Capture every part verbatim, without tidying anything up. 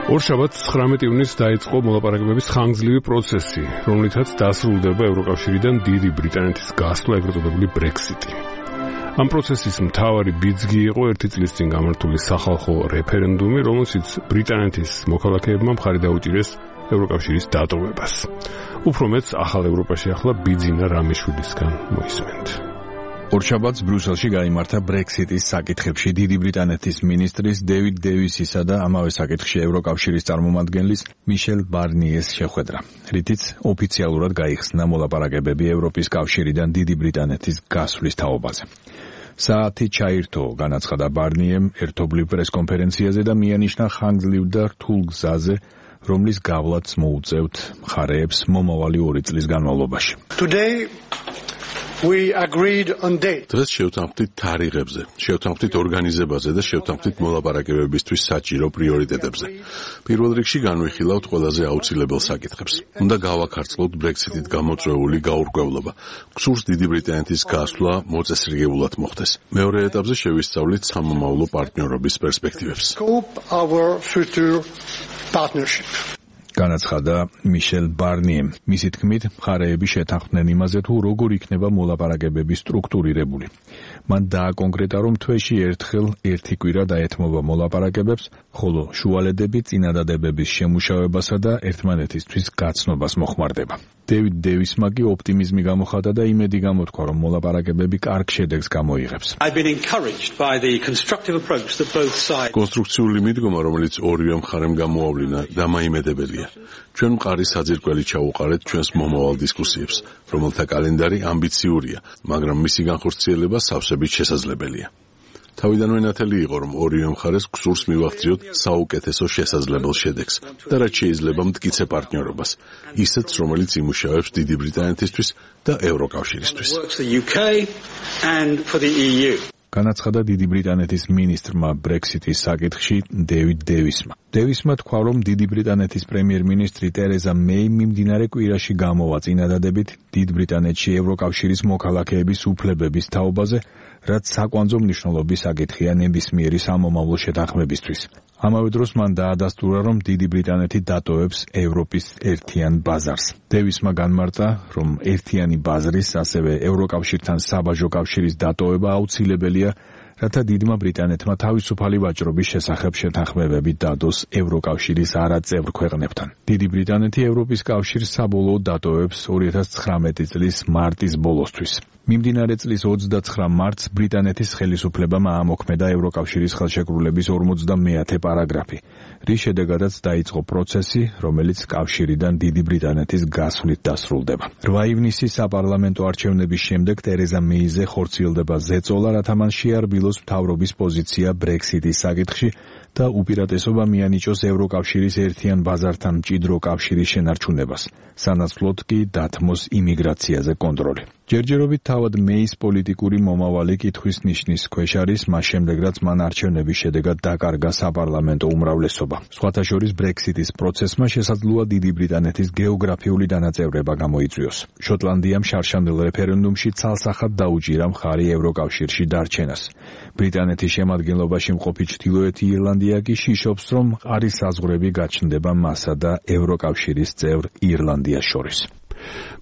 ორშაბათს ცხრამეტი ივნისს დაიწყო მოლაპარაკებების ხანგრძლივი პროცესი, რომლითაც დასრულდება ევროკავშირიდან დიდი ბრიტანეთის გასვლა, ეგრეთ წოდებული ბრექსიტი. ამ პროცესის მთავარი ბიძგი იყო ერთი წლის წინ გამართული სახალხო რეფერენდუმი, რომელშიც ბრიტანეთის მოქალაქეებმა მხარი დაუჭირეს ევროკავშირის დატოვებას. უფრო მეტს ახალ ევროპაში ახლა ბიძინა რამიშვილისგან მოისმენთ. ორშაბათს ბრიუსელში გაიმართა ბრექსიტის საკითხებში დიდი ბრიტანეთის მინისტრის დევიდ დევისისა და ამავე საკითხში ევროკავშირის წარმომადგენლის მიშელ ბარნიეს შეხვედრა, რითიც ოფიციალურად გაიხსნა მოლაპარაკებები ევროპის კავშირიდან დიდი ბრიტანეთის გასვლის თაობაზე. საათი ჩაირთო, განაცხადა ბარნიემ ერთობლივ პრესკონფერენციაზე და მიანიშნა ხანგრძლივ და რთულ გზაზე, რომლის გავლაც მოუწევთ მხარეებს მომავალი ორი წლის განმავლობაში. We agreed on date. დღეს შევთანხმდით თარიღებზე, შევთანხმდით ორგანიზებაზე და შევთანხმდით მოლაპარაკებებისთვის საჭირო პრიორიტეტებზე. პირველ რიგში განვიხილავთ ყველაზე აუცილებელ საკითხებს. უნდა გავაქარწყლოთ ბრექსიტით გამოწვეული გაურკვევლობა. გსურს დიდი ბრიტანეთის გასვლა მოწესრიგებულად მოხდეს. მეორე ეტაპზე შევისწავლით სამომავლო პარტნიორობის პერსპექტივებს. Our future partnership. განაცხადა მიშელ ბარნიემ. მისი თქმით, მხარეები შეთანხმდნენ იმაზე, თუ როგორ იქნება მოლაპარაკებები სტრუქტურირებული. მან დააკონკრეტა, რომ თვეში ერთხელ ერთი კვირა დაეთმობა მოლაპარაკებებს, ხოლო შუალედები წინადადებების შემუშავებასა და ერთმანეთისთვის გაცნობას მოხმარდება. დევიდ დევისმა კი ოპტიმიზმი გამოხატა და იმედი გამოთქვა, რომ მოლაპარაკებები კარგ შედეგს გამოიღებს. კონსტრუქციული მიდგომა, რომელიც ორივე მხარემ გამოავლინა, დამაიმედებელია. ჩვენ მყარი საძირკველი ჩაუყარეთ ჩვენს მომავალ დისკუსიებს, რომელთა კალენდარი ამბიციურია, მაგრამ მისი განხორციელება სავსებით შესაძლებელია. თავიდანვე ნათელი იყო, რომ ორივე მხარეს გსურს მივახციოთ საუკეთესო შესაძლებელ შედეგს და რაც შეიძლება მტკიცე პარტნიორობას, ისეთს, რომელიც იმუშავებს დიდი ბრიტანეთისთვის და ევროკავშირისთვის. განაცხადა დიდი ბრიტანეთის მინისტრმა ბრექსიტის საკითხში დევიდ დევისმა. დევისმა თქვა, რომ დიდი ბრიტანეთის პრემიერ-მინისტრი ტერეზა მეი მიმდინარე კვირაში გამოვა წინადადებით დიდ ბრიტანეთში ევროკავშირის მოქალაქეების უფლებების თაობაზე, რაც საკვანძო მნიშვნელობის საკითხია ნებისმიერი სამომავლო შეთანხმებისთვის. ამავე დროს მან დაადასტურა, რომ დიდი ბრიტანეთი დატოვებს ევროპის ერთიან ბაზარს. დევისმა განმარტა, რომ ერთიანი ბაზრის, ასევე ევროკავშირთან საბაჟო კავშირის დატოვება აუცილებელია, რათა დიდმა ბრიტანეთმა თავისუფალი ვაჭრობის შესახებ შეთანხმებები დადოს ევროკავშირის არაწევრ ქვეყნებთან. დიდი ბრიტანეთი ევროპის კავშირს საბოლოოდ დატოვებს ორი ათას ცხრამეტი წლის მარტის ბოლოსთვის. მიმდინარე წლის ოცდაცხრა მარტს ბრიტანეთის ხელისუფლებამ აამოქმედა ევროკავშირის ხელშეკრულების ორმოცდამეათე პარაგრაფი, რის შედეგადაც დაიწყო პროცესი, რომელიც კავშირიდან დიდი ბრიტანეთის გასვლით დასრულდება. რვა ივნისის საპარლამენტო არჩევნების შემდეგ ტერეზა მეიზე ხორციელდება ზეწოლა, რათა მან შეარბილოს მთავრობის პოზიცია ბრექსიტის საკითხში და უპირატესობა მიანიჭოს ევროკავშირის ერთიან ბაზართან მჭიდრო კავშირის შენარჩუნებას, სანაცვლოდ კი დათმოს იმიგრაციაზე კონტროლი. ჯერჯერობით თავად მეის პოლიტიკური მომავალი კითხვის ნიშნის ქვეშ არის, მას შემდეგ რაც მან არჩევნების შედეგად დაკარგა საპარლამენტო უმრავლესობა. სხვათა შორის ბრექსიტის პროცესმა შესაძლოა დიდი ბრიტანეთის გეოგრაფიული დანაწევრება გამოიწვიოს. შოტლანდიამ შარშანდელ რეფერენდუმში ცალსახად დაუჭირა მხარი ევროკავშირში დარჩენას. ბრიტანეთის შემადგენლობაში მყოფი ჩრდილოეთი ირლანდია კი შიშობს, რომ მყარი საზღვრები გაჩნდება მასა და ევროკავშირის წევრ ირლანდიას შორის.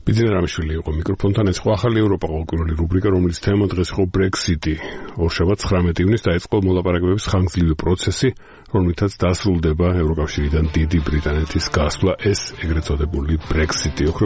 ბიძინა რამიშვილი იყო მიკროფონთან, ეს იყო ახალი ევროპა ყოველკვირეული რუბრიკა, რომლის თემა დღეს იყო ბრექსიტი. ორშაბათს ცხრამეტი ივნისს დაიწყო მოლაპარაკებების ხანგრძლივი პროცესი, რომლითაც დასრულდება ევროკავშირიდან დიდი ბრიტანეთის გასვლა, ეს ეგრეთ წოდებული ბრექსიტი.